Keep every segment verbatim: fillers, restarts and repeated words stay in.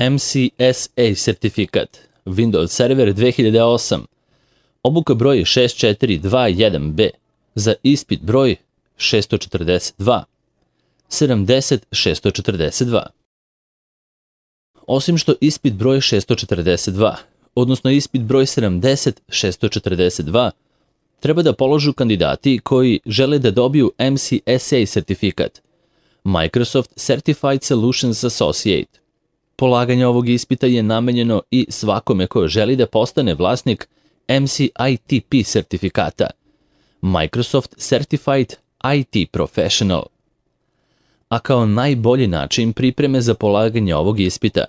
M C S A sertifikat, Windows Server dve hiljade osam, obuka broj šest četiri dva jedan B, za ispit broj šest četrdeset dva, sedamdeset šest četrdeset dva. Osim što ispit broj šest četrdeset dva, odnosno ispit broj sedamdeset šest četrdeset dva, treba da položu kandidati koji žele da dobiju M C S A sertifikat, Microsoft Certified Solutions Associate. Polaganje ovog ispita je namenjeno i svakome ko želi da postane vlasnik M C I T P sertifikata, Microsoft Certified I T Professional. A kao najbolji način pripreme za polaganje ovog ispita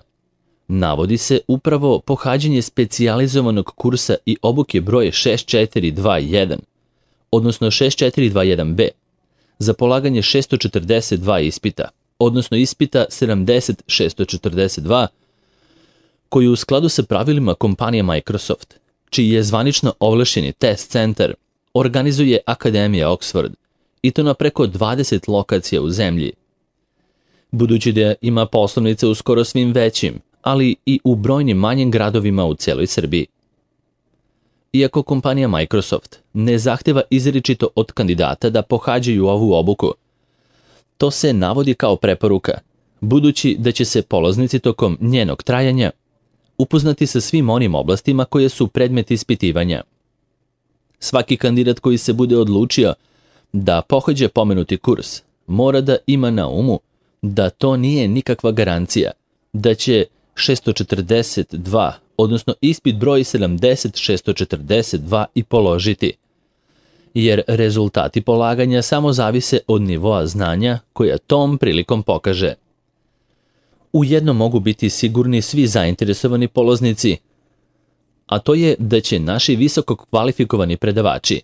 navodi se upravo pohađanje specijalizovanog kursa i obuke broj šest četiri dva jedan, odnosno šest četiri dva jedan B, za polaganje šest četrdeset dva ispita, odnosno ispita sedamdeset šest četrdeset dva, koji u skladu sa pravilima kompanije Microsoft, čiji je zvanično ovlašćeni test centar, organizuje Akademija Oxford, i to na preko dvadeset lokacija u zemlji. Budući da ima poslovnice u skoro svim većim, ali i u brojnim manjim gradovima u cijeloj Srbiji. Iako kompanija Microsoft ne zahteva izričito od kandidata da pohađaju ovu obuku, to se navodi kao preporuka, budući da će se polaznici tokom njenog trajanja upoznati sa svim onim oblastima koje su predmet ispitivanja. Svaki kandidat koji se bude odlučio da pohađa pomenuti kurs mora da ima na umu da to nije nikakva garancija da će šest četrdeset dva, odnosno ispit broj sedamdeset šest četrdeset dva i položiti, jer rezultati polaganja samo zavise od nivoa znanja koja tom prilikom pokaže. Ujedno mogu biti sigurni svi zainteresovani polaznici, a to je da će naši visoko kvalifikovani predavači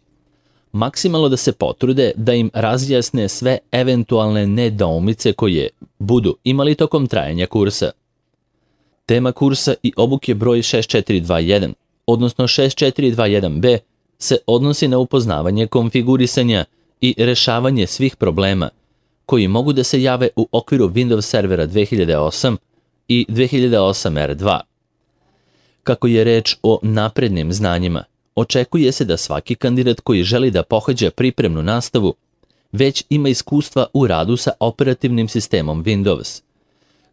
maksimalno da se potrude da im razjasne sve eventualne nedoumice koje budu imali tokom trajanja kursa. Tema kursa i obuke broj šest četiri dva jedan, odnosno šest četiri dva jedan B, se odnosi na upoznavanje konfigurisanja i rešavanje svih problema koji mogu da se jave u okviru Windows Servera dve hiljade osam i dve hiljade osam R dva. Kako je reč o naprednim znanjima, očekuje se da svaki kandidat koji želi da pohađa pripremnu nastavu već ima iskustva u radu sa operativnim sistemom Windows,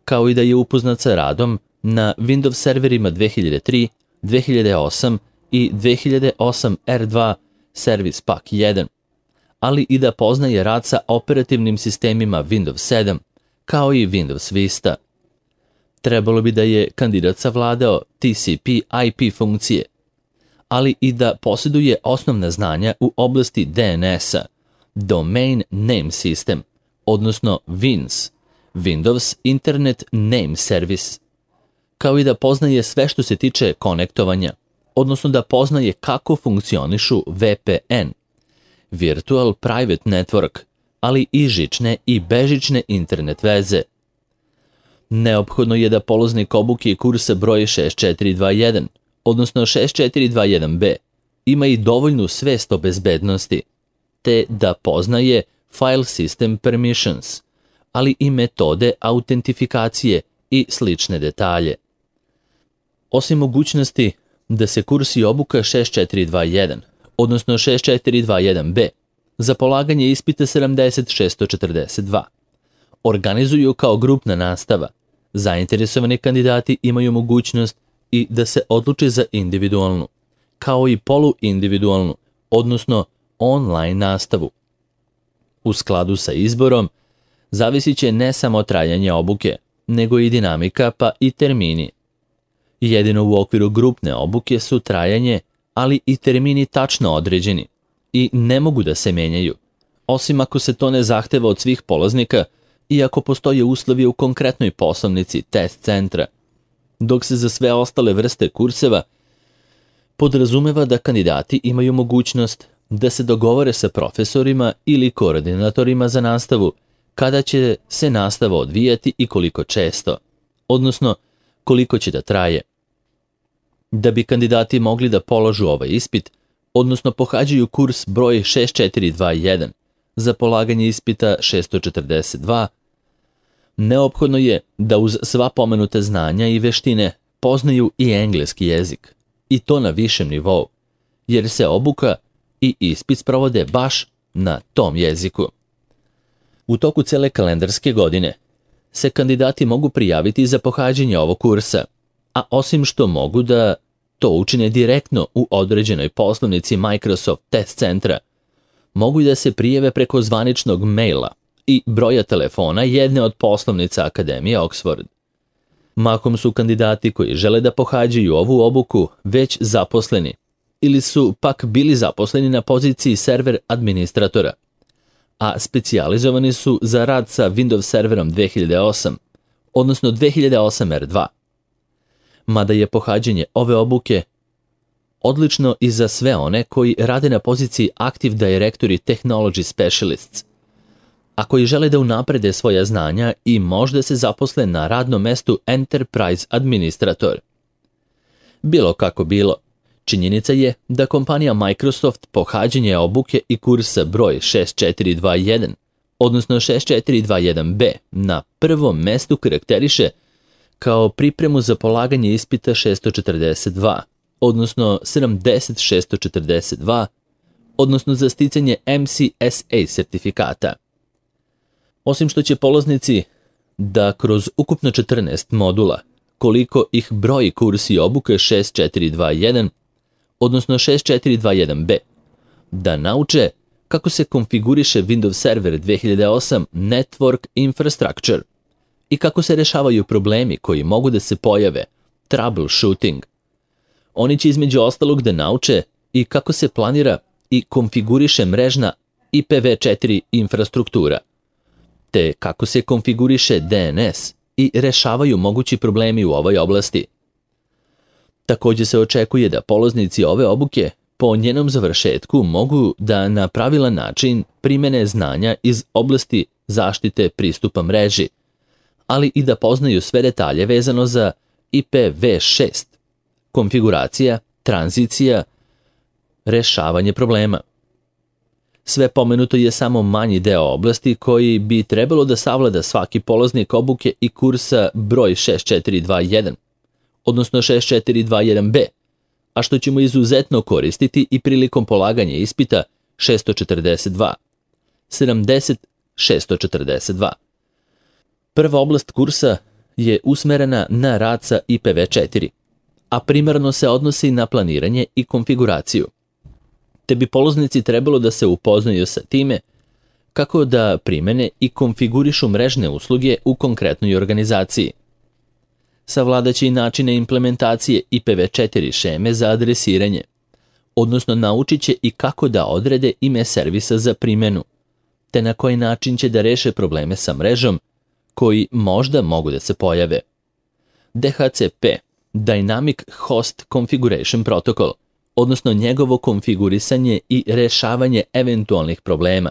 kao i da je upoznat sa radom na Windows serverima dve hiljade tri, dve hiljade osam i dve hiljade osam R dva Service Pack jedan, ali i da poznaje rad sa operativnim sistemima Windows sedam, kao i Windows Vista. Trebalo bi da je kandidat savladao T C P I P funkcije, ali i da posjeduje osnovna znanja u oblasti D N S-a, Domain Name System, odnosno W I N S, Windows Internet Name Service, kao i da poznaje sve što se tiče konektovanja, odnosno da poznaje kako funkcionišu V P N, Virtual Private Network, ali i žične i bežične internet veze. Neophodno je da polaznik obuke kursa broj šest četiri dva jedan, odnosno šest četiri dva jedan B, ima i dovoljnu svest o bezbednosti, te da poznaje File System Permissions, ali i metode autentifikacije i slične detalje. Osim mogućnosti da se kurs i obuka šest četiri dva jedan, odnosno šest četiri dva jedan B, za polaganje ispita sedamdeset šest četrdeset dva, organizuju kao grupna nastava, zainteresovani kandidati imaju mogućnost i da se odluče za individualnu, kao i poluindividualnu, odnosno online nastavu. U skladu sa izborom, zavisit će ne samo trajanje obuke, nego i dinamika pa i termini. Jedino u okviru grupne obuke su trajanje, ali i termini tačno određeni i ne mogu da se menjaju, osim ako se to ne zahteva od svih polaznika i ako postoje uslovi u konkretnoj poslovnici test centra, dok se za sve ostale vrste kurseva podrazumeva da kandidati imaju mogućnost da se dogovore sa profesorima ili koordinatorima za nastavu kada će se nastava odvijati i koliko često, odnosno koliko će da traje. Da bi kandidati mogli da položu ovaj ispit, odnosno pohađaju kurs broj šest četiri dva jedan za polaganje ispita šest četrdeset dva, neophodno je da uz sva pomenuta znanja i veštine poznaju i engleski jezik, i to na višem nivou, jer se obuka i ispit sprovode baš na tom jeziku. U toku cele kalendarske godine se kandidati mogu prijaviti za pohađanje ovog kursa, a osim što mogu da to učine direktno u određenoj poslovnici Microsoft Test Centra, mogu i da se prijave preko zvaničnog maila i broja telefona jedne od poslovnica Akademije Oxford. Mahom su kandidati koji žele da pohađaju ovu obuku već zaposleni ili su pak bili zaposleni na poziciji server administratora, a specijalizovani su za rad sa Windows serverom dve hiljade osam, odnosno dve hiljade osam R dva. Mada je pohađanje ove obuke odlično i za sve one koji rade na poziciji Active Directory Technology Specialists, a koji žele da unaprede svoja znanja i možda se zaposle na radnom mestu Enterprise Administrator. Bilo kako bilo, činjenica je da kompanija Microsoft pohađanje obuke i kursa broj šest četiri dva jedan, odnosno šest četiri dva jedan B, na prvom mestu karakteriše kao pripremu za polaganje ispita šest četrdeset dva, odnosno sedamdeset šest četrdeset dva, odnosno za sticanje M C S A sertifikata. Osim što će polaznici da kroz ukupno četrnaest modula, koliko ih broji kursi obuke šest četiri dva jedan, odnosno šest četiri dva jedan B, da nauče kako se konfiguriše Windows Server dve hiljade osam Network Infrastructure i kako se rešavaju problemi koji mogu da se pojave, troubleshooting. Oni će između ostalog da nauče i kako se planira i konfiguriše mrežna I P v četiri infrastruktura, te kako se konfiguriše D N S i rešavaju mogući problemi u ovoj oblasti. Također se očekuje da polaznici ove obuke po njenom završetku mogu da na pravilan način primene znanja iz oblasti zaštite pristupa mreži, ali i da poznaju sve detalje vezano za I P v šest, konfiguracija, tranzicija, rešavanje problema. Sve pomenuto je samo manji deo oblasti koji bi trebalo da savlada svaki polaznik obuke i kursa broj šest četiri dva jedan, odnosno šest četiri dva jedan B, a što ćemo izuzetno koristiti i prilikom polaganja ispita šest četrdeset dva, sedamdeset šest četrdeset dva. Prva oblast kursa je usmerena na rad sa I P v četiri, a primarno se odnosi na planiranje i konfiguraciju, te bi polaznici trebalo da se upoznaju sa time kako da primene i konfigurišu mrežne usluge u konkretnoj organizaciji. Savladaće i načine implementacije I P v četiri šeme za adresiranje, odnosno naučit će i kako da odrede ime servisa za primenu, te na koji način će da reše probleme sa mrežom koji možda mogu da se pojave. D H C P, Dynamic Host Configuration Protocol, odnosno njegovo konfigurisanje i rešavanje eventualnih problema,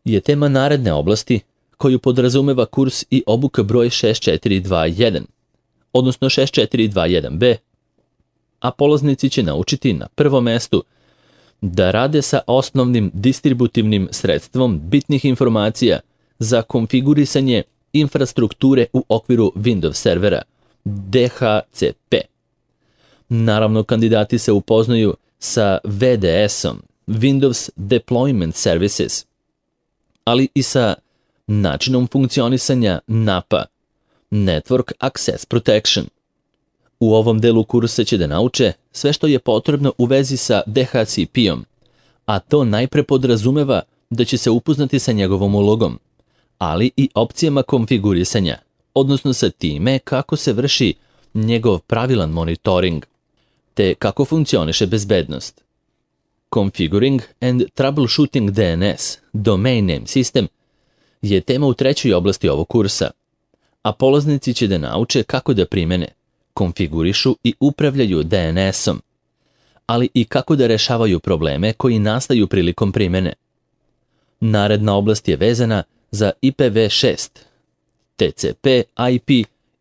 je tema naredne oblasti koju podrazumeva kurs i obuka broj šest četiri dva jedan, odnosno šest četiri dva jedan B, a polaznici će naučiti na prvom mestu da rade sa osnovnim distributivnim sredstvom bitnih informacija za konfigurisanje infrastrukture u okviru Windows servera, D H C P. Naravno, kandidati se upoznaju sa V D S-om, Windows Deployment Services, ali i sa načinom funkcionisanja N A P-a, Network Access Protection. U ovom delu kursa će da nauče sve što je potrebno u vezi sa D H C P-om, a to najpre podrazumeva da će se upoznati sa njegovom ulogom, ali i opcijama konfigurisanja, odnosno sa time kako se vrši njegov pravilan monitoring, te kako funkcioniše bezbednost. Configuring and Troubleshooting D N S, Domain Name System, je tema u trećoj oblasti ovog kursa, a polaznici će da nauče kako da primene, konfigurišu i upravljaju D N S-om, ali i kako da rešavaju probleme koji nastaju prilikom primene. Naredna oblast je vezana za I P v šest, T C P I P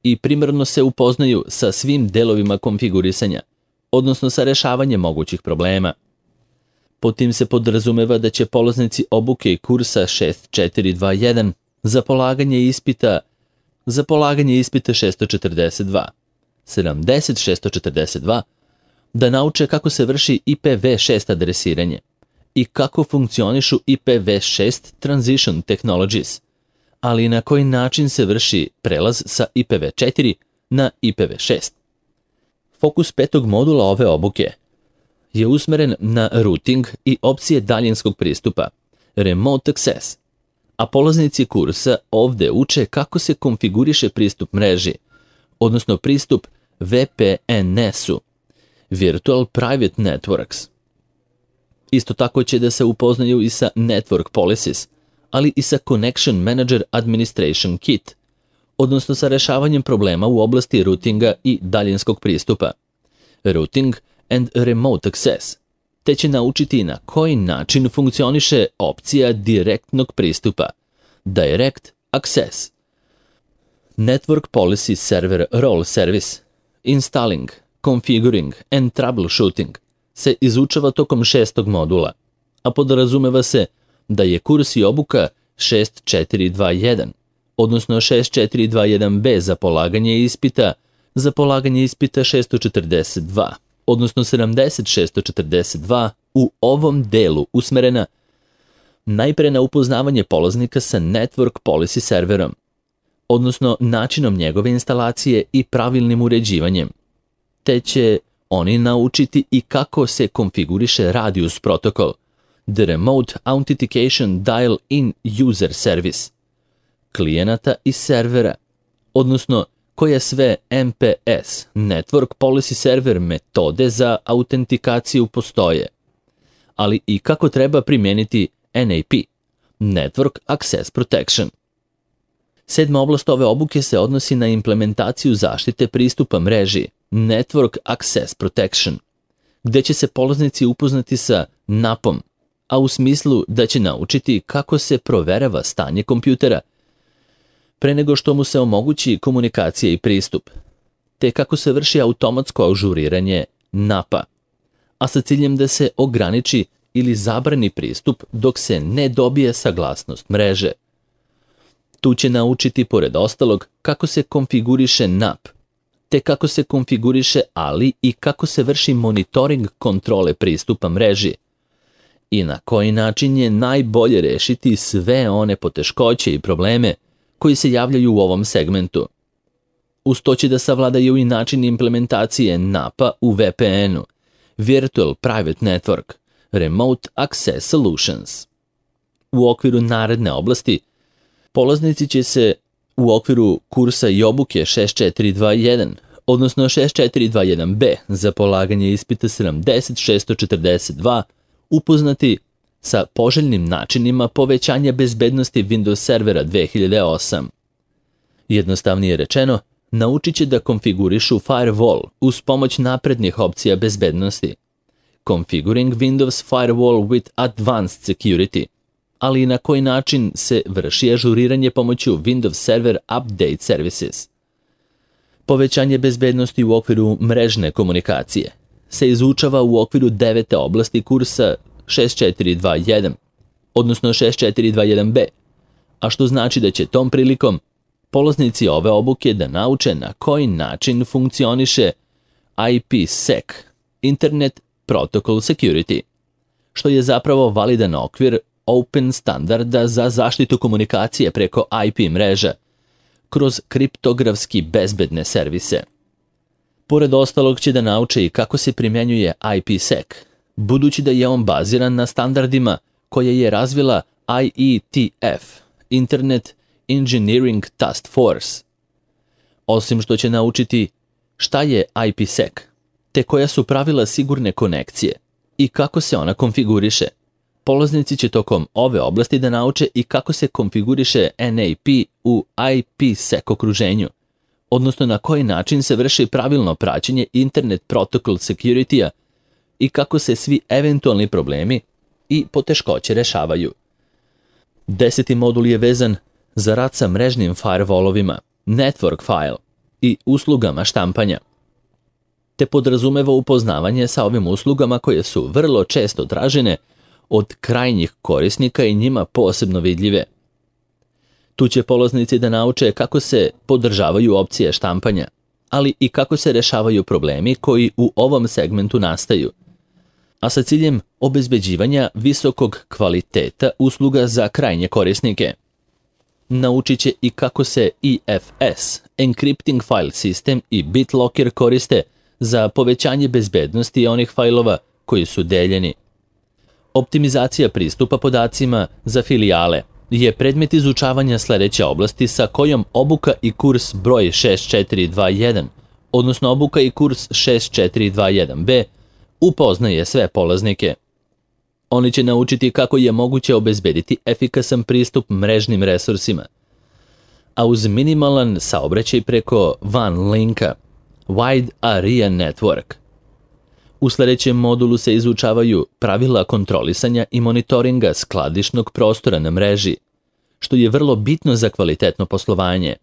i primarno se upoznaju sa svim delovima konfigurisanja, odnosno sa rešavanjem mogućih problema. Pod tim se podrazumeva da će polaznici obuke i kursa šest četiri dva jedan za polaganje ispita za polaganje ispita šesto četrdeset dva, sedamdeset šesto četrdeset dva da nauče kako se vrši I P v šest adresiranje i kako funkcionišu I P v šest Transition Technologies, ali i na koji način se vrši prelaz sa I P v četiri na I P v šest. Fokus petog modula ove obuke je usmeren na routing i opcije daljinskog pristupa, Remote Access, a polaznici kursa ovde uče kako se konfiguriše pristup mreži, odnosno pristup V P N S-u, Virtual Private Networks. Isto tako će da se upoznaju i sa Network Policies, ali i sa Connection Manager Administration Kit, odnosno sa rešavanjem problema u oblasti routinga i daljinskog pristupa, Routing and Remote Access, te će naučiti na koji način funkcioniše opcija direktnog pristupa, Direct Access, Network Policy Server Role Service, Installing, Configuring and Troubleshooting se izučava tokom šestog modula, a podrazumeva se da je kurs i obuka šest četiri dva jedan, odnosno šest četiri dva jedan b za polaganje ispita, za polaganje ispita šesto četrdeset dva, odnosno sedamdeset šesto četrdeset dva u ovom delu usmerena najpre na upoznavanje polaznika sa Network Policy serverom, odnosno načinom njegove instalacije i pravilnim uređivanjem, te će oni naučiti i kako se konfiguriše Radius protokol, The Remote Authentication Dial-in User Service, klijenata i servera, odnosno koje sve N P S, Network Policy Server metode za autentikaciju postoje, ali i kako treba primijeniti N A P, Network Access Protection. Sedma oblast ove obuke se odnosi na implementaciju zaštite pristupa mreži, Network Access Protection, gde će se polaznici upoznati sa N A P-om, a u smislu da će naučiti kako se proverava stanje kompjutera pre nego što mu se omogući komunikacija i pristup, te kako se vrši automatsko ažuriranje N A P-a, a sa ciljem da se ograniči ili zabrani pristup dok se ne dobije saglasnost mreže. Tu će naučiti, pored ostalog, kako se konfiguriše N A P, te kako se konfiguriše, ali i kako se vrši monitoring kontrole pristupa mreži i na koji način je najbolje rešiti sve one poteškoće i probleme koji se javljaju u ovom segmentu. Uz to će da savladaju i način implementacije N A P-a u V P N-u, Virtual Private Network, Remote Access Solutions. U okviru naredne oblasti, polaznici će se u okviru kursa i obuke šest četiri dva jedan, odnosno šest četiri dva jedan b za polaganje ispita sedamdeset šesto četrdeset dva, upoznati sa poželjnim načinima povećanja bezbednosti Windows servera dve hiljade osam. Jednostavnije rečeno, naučit će da konfigurišu firewall uz pomoć naprednih opcija bezbednosti, Configuring Windows Firewall with Advanced Security, ali i na koji način se vrši ažuriranje pomoću Windows Server Update Services. Povećanje bezbednosti u okviru mrežne komunikacije se izučava u okviru devete oblasti kursa šest četiri dva jedan, odnosno šest četiri dva jedan b, a što znači da će tom prilikom polaznici ove obuke da nauče na koji način funkcioniše I P sec, Internet Protocol Security, što je zapravo validan okvir open standarda za zaštitu komunikacije preko I P mreža kroz kriptografski bezbedne servise. Pored ostalog će da nauče i kako se primjenjuje I P sec, budući da je on baziran na standardima koje je razvila I E T F, Internet Engineering Task Force. Osim što će naučiti šta je I P sec, te koja su pravila sigurne konekcije i kako se ona konfiguriše, polaznici će tokom ove oblasti da nauče i kako se konfiguriše N A P u I P sec okruženju, odnosno na koji način se vrši pravilno praćenje Internet Protocol Security-a i kako se svi eventualni problemi i poteškoće rešavaju. Deseti modul je vezan za rad sa mrežnim firewallovima, network file i uslugama štampanja, te podrazumeva upoznavanje sa ovim uslugama koje su vrlo često tražene od krajnjih korisnika i njima posebno vidljive. Tu će polaznici da nauče kako se podržavaju opcije štampanja, ali i kako se rešavaju problemi koji u ovom segmentu nastaju, a sa ciljem obezbeđivanja visokog kvaliteta usluga za krajnje korisnike. Naučit će i kako se E F S, Encrypting File System i BitLocker koriste za povećanje bezbednosti onih fajlova koji su deljeni. Optimizacija pristupa podacima za filijale je predmet izučavanja sledeće oblasti sa kojom obuka i kurs broj šest četiri dva jedan, odnosno obuka i kurs šest četiri dva jedan B, upoznaje sve polaznike. Oni će naučiti kako je moguće obezbediti efikasan pristup mrežnim resursima, a uz minimalan saobraćaj preko WAN linka, Wide Area Network. U sledećem modulu se izučavaju pravila kontrolisanja i monitoringa skladišnog prostora na mreži, što je vrlo bitno za kvalitetno poslovanje.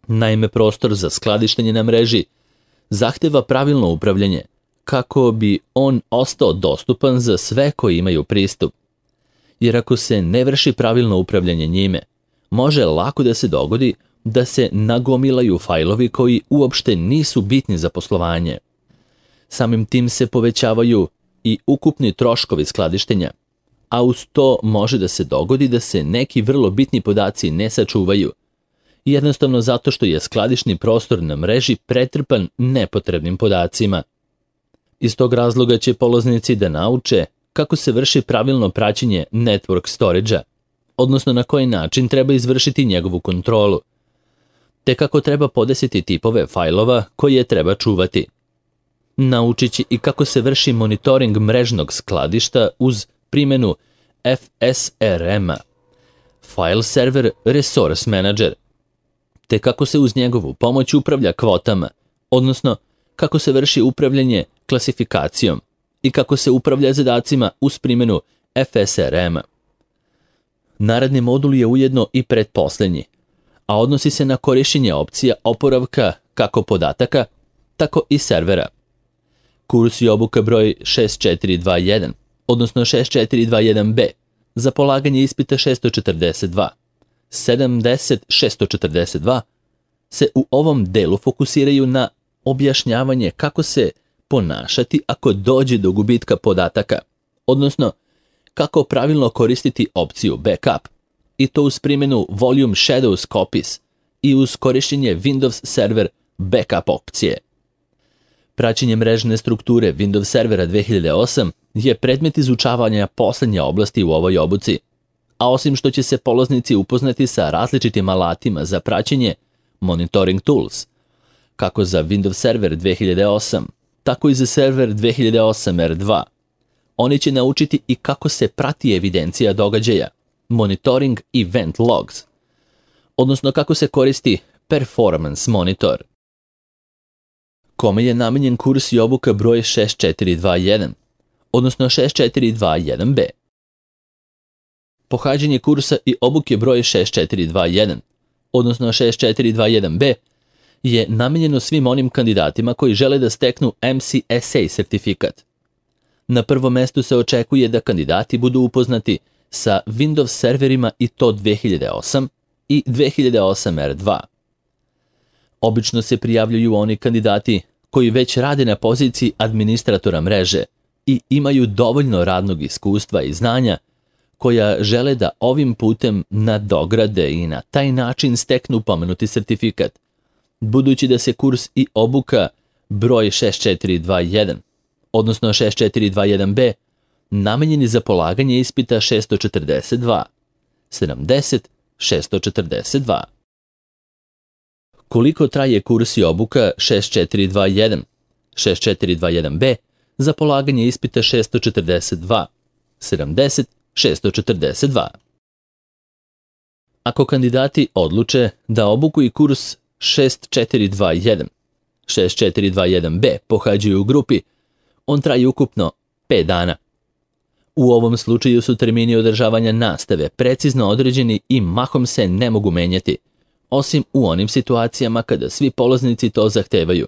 Naime, prostor za skladištenje na mreži zahteva pravilno upravljanje, kako bi on ostao dostupan za sve koji imaju pristup. Jer ako se ne vrši pravilno upravljanje njime, može lako da se dogodi da se nagomilaju fajlovi koji uopšte nisu bitni za poslovanje. Samim tim se povećavaju i ukupni troškovi skladištenja, a uz to može da se dogodi da se neki vrlo bitni podaci ne sačuvaju, jednostavno zato što je skladišni prostor na mreži pretrpan nepotrebnim podacima. Iz tog razloga će polaznici da nauče kako se vrši pravilno praćenje network storage-a, odnosno na koji način treba izvršiti njegovu kontrolu, te kako treba podesiti tipove fajlova koje treba čuvati. Naučit će i kako se vrši monitoring mrežnog skladišta uz primjenu F S R M-a, File Server Resource Manager, te kako se uz njegovu pomoć upravlja kvotama, odnosno kako se vrši upravljanje klasifikacijom i kako se upravlja zadacima uz primjenu F S R M-a. Naredni modul je ujedno i pretposlednji, a odnosi se na korišćenje opcija oporavka kako podataka, tako i servera. Kurs i obuka broj šest četiri dva jedan, odnosno šest četiri dva jedan B, za polaganje ispita šest četrdeset dva, sedamdeset šest četrdeset dva, se u ovom delu fokusiraju na objašnjavanje kako se ponašati ako dođe do gubitka podataka, odnosno kako pravilno koristiti opciju backup, i to uz primjenu Volume Shadows Copies i uz korišćenje Windows Server Backup opcije. Praćenje mrežne strukture Windows Servera dve hiljade osam je predmet izučavanja poslednje oblasti u ovoj obuci, a osim što će se polaznici upoznati sa različitim alatima za praćenje Monitoring Tools, kako za Windows Server dve hiljade osam, tako i za Server dve hiljade osam R dva. Oni će naučiti i kako se prati evidencija događaja, Monitoring Event Logs, odnosno kako se koristi Performance Monitor. Kome je namenjen kurs i obuka broj šest četiri dva jedan, odnosno šest četiri dva jedan B. Pohađanje kursa i obuke broj šest četiri dva jedan, odnosno šest četiri dva jedan B, je namenjeno svim onim kandidatima koji žele da steknu M C S A sertifikat. Na prvom mestu se očekuje da kandidati budu upoznati sa Windows serverima i to dve hiljade osam i dve hiljade osam R dva. Obično se prijavljuju oni kandidati koji već rade na poziciji administratora mreže i imaju dovoljno radnog iskustva i znanja koja žele da ovim putem nadograde i na taj način steknu pomenuti sertifikat, budući da se kurs i obuka broj šest četiri dva jedan, odnosno šest četiri dva jedan B, namenjeni za polaganje ispita šest četrdeset dva, sedamdeset šest četrdeset dva. Koliko traje kurs i obuka šest četiri dva jedan, šest četiri dva jedan B za polaganje ispita šest četrdeset dva, sedamdeset šest četrdeset dva? Ako kandidati odluče da obuku i kurs šest četiri dva jedan, šest četiri dva jedan B pohađaju u grupi, on traje ukupno pet dana. U ovom slučaju su termini održavanja nastave precizno određeni i mahom se ne mogu menjati, osim u onim situacijama kada svi polaznici to zahtevaju,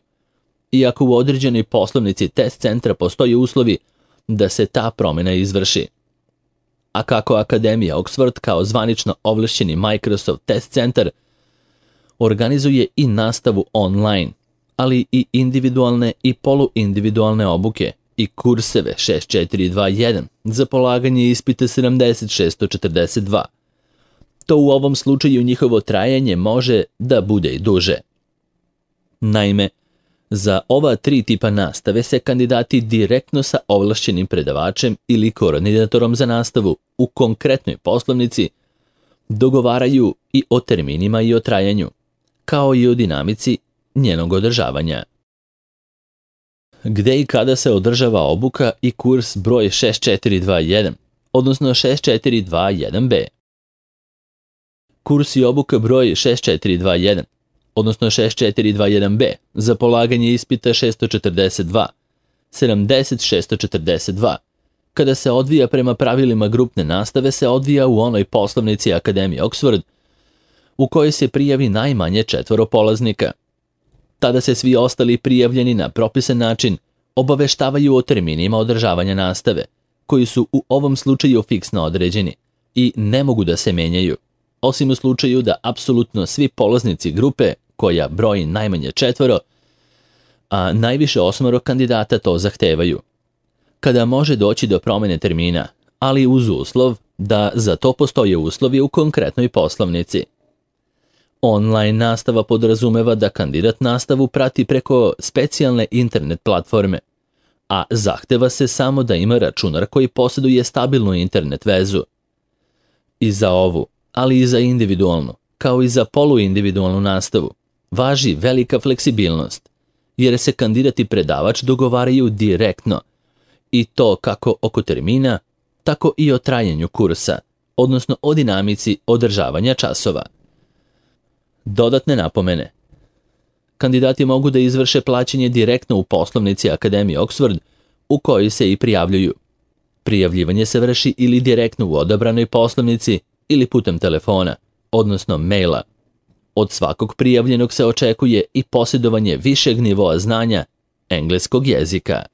iako u određenoj poslovnici test centra postoje uslovi da se ta promjena izvrši. a kako Akademija Oxford kao zvanično ovlašćeni Microsoft test centar organizuje i nastavu online, ali i individualne i poluindividualne obuke i kurseve šest četiri dva jedan za polaganje ispita sedamdeset šest četrdeset dva. To u ovom slučaju njihovo trajanje može da bude i duže. Naime, za ova tri tipa nastave se kandidati direktno sa ovlašćenim predavačem ili koordinatorom za nastavu u konkretnoj poslovnici dogovaraju i o terminima i o trajanju, kao i o dinamici njenog održavanja. Gde i kada se održava obuka i kurs broj šest četiri dva jedan, odnosno šest četiri dva jedan be? Kurs i obuka broj šest četiri dva jedan, odnosno šest četiri dva jedan be za polaganje ispita šest četrdeset dva, sedamdeset šest četrdeset dva, kada se odvija prema pravilima grupne nastave, se odvija u onoj poslovnici Akademije Oxford u kojoj se prijavi najmanje četvoro polaznika. Tada se svi ostali prijavljeni na propisan način obaveštavaju o terminima održavanja nastave, koji su u ovom slučaju fiksno određeni i ne mogu da se menjaju, osim u slučaju da apsolutno svi polaznici grupe, koja broji najmanje četvoro, a najviše osmoro kandidata to zahtevaju. Kada može doći do promene termina, ali uz uslov da za to postoje uslovi u konkretnoj poslovnici. Online nastava podrazumeva da kandidat nastavu prati preko specijalne internet platforme, a zahteva se samo da ima računar koji posjeduje stabilnu internet vezu. I za ovu, ali i za individualnu, kao i za poluindividualnu nastavu, važi velika fleksibilnost, jer se kandidat i predavač dogovaraju direktno, i to kako oko termina, tako i o trajanju kursa, odnosno o dinamici održavanja časova. Dodatne napomene. Kandidati mogu da izvrše plaćanje direktno u poslovnici Akademije Oxford u kojoj se i prijavljuju. Prijavljivanje se vrši ili direktno u odabranoj poslovnici ili putem telefona, odnosno maila. Od svakog prijavljenog se očekuje i posjedovanje višeg nivoa znanja engleskog jezika.